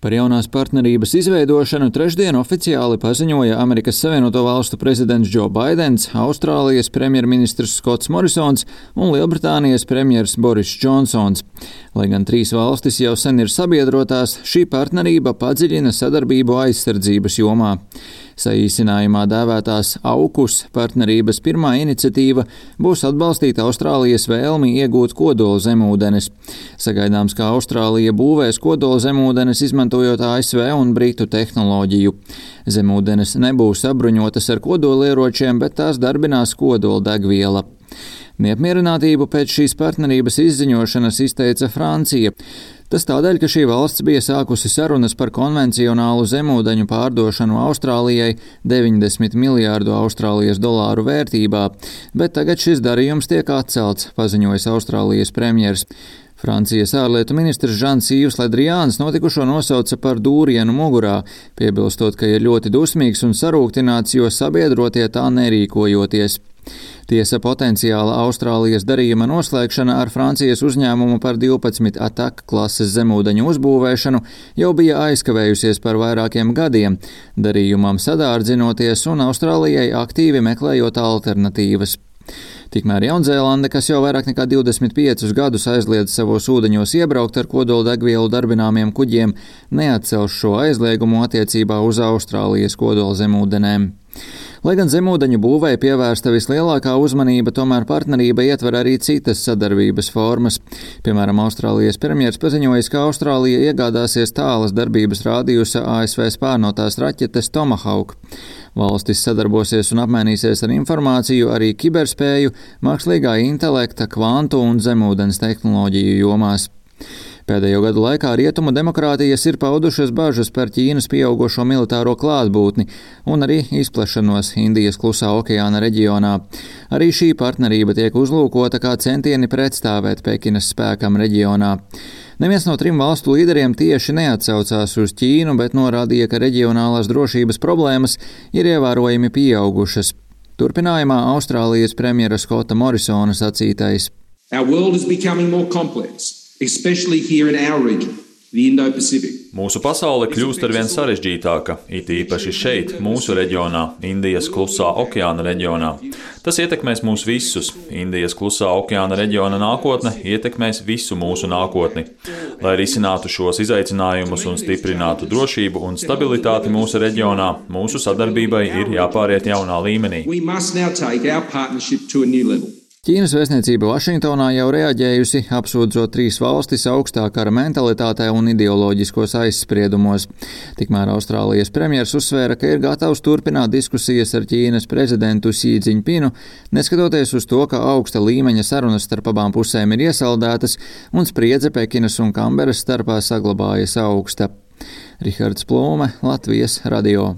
Par jaunās partnerības izveidošanu trešdien oficiāli paziņoja Amerikas Savienoto Valstu prezidents Džo Baidens, Austrālijas premjerministrs Skots Morisons un Lielbritānijas premjers Boris Džonsons. Lai gan trīs valstis jau sen ir sabiedrotās, šī partnerība padziļina sadarbību aizsardzības jomā. Saīsinājumā dēvētās AUKUS partnerības pirmā iniciatīva būs atbalstīt Austrālijas vēlmi iegūt kodola zemūdenes. Sagaidāms, ka Austrālija būvēs kodola zemūdenes izmantojot ASV un Britu tehnoloģiju. Zemūdenes nebūs sabruņotas ar kodolieročiem, bet tās darbinās kodola degviela. Neapmierinātību pēc šīs partnerības izziņošanas izteica Francija. Tas tādēļ, ka šī valsts bija sākusi sarunas par konvencionālu zemūdeņu pārdošanu Austrālijai 90 miljārdu Austrālijas dolāru vērtībā, bet tagad šis darījums tiek atcelts, paziņojis Austrālijas premjers. Francijas ārlietu ministrs Žans Yves Le Drians notikušo nosauca par dūrienu mugurā, piebilstot, ka ir ļoti dusmīgs un sarūktināts, jo sabiedrotie tā nerīkojoties. Tiesa potenciāla Austrālijas darījuma noslēgšana ar Francijas uzņēmumu par 12 Attack klases zemūdeņu uzbūvēšanu jau bija aizkavējusies par vairākiem gadiem, darījumam sadārdzinoties un Austrālijai aktīvi meklējot alternatīvas. Tikmēr Jaunzēlande, kas jau vairāk nekā 25 gadus aizliedz savos ūdeņos iebraukt ar kodoldegvielu darbināmiem kuģiem, neatcels šo aizliegumu attiecībā uz Austrālijas kodolzemūdenēm. Lai gan zemūdeņu būvei pievērsta vislielākā uzmanība, tomēr partnerība ietver arī citas sadarbības formas. Piemēram, Austrālijas premjers paziņojis, ka Austrālija iegādāsies tālas darbības rādījusa ASV spārnotās raķetes Tomahawk. Valstis sadarbosies un apmainīsies ar informāciju arī kiberspēju, mākslīgā intelekta, kvantu un zemūdens tehnoloģiju jomās. Pēdējo gadu laikā rietumu demokrātijas ir paudušas bažas par Ķīnas pieaugušo militāro klātbūtni un arī izplešanos Indijas klusā okeāna reģionā. Arī šī partnerība tiek uzlūkota kā centieni pretstāvēt Pekinas spēkam reģionā. Neviens no trim valstu līderiem tieši neatsaucās uz Ķīnu, bet norādīja, ka reģionālās drošības problēmas ir ievērojami pieaugušas. Turpinājumā Austrālijas premjera Skota Morisona sacītais. Our world is becoming more complex. Especially here in our region, the Indo-Pacific. Mūsu pasaule kļūst arvien sarežģītāka, it īpaši šeit, mūsu reģionā, Indijas klusā okeāna reģionā. Tas ietekmēs mūs visus. Indijas klusā okeāna reģiona nākotne ietekmēs visu mūsu nākotni. Lai risinātu šos izaicinājumus un stiprinātu drošību un stabilitāti mūsu reģionā, mūsu sadarbībai ir jāpāriet jaunā līmenī. We must now take our partnership to a new level. Ķīnas vēstniecība Vašingtonā jau reaģējusi, apsūdzot trīs valstis augstā kara mentalitātē un ideoloģiskos aizspriedumos. Tikmēr Austrālijas premjers uzsvēra, ka ir gatavs turpināt diskusijas ar Ķīnas prezidentu Xi Jinpingu, neskatoties uz to, ka augsta līmeņa sarunas starp abām pusēm ir iesaldētas un spriedze Pekinas un Kamberas starpā saglabājas augsta. Rihards Plūme, Latvijas radio.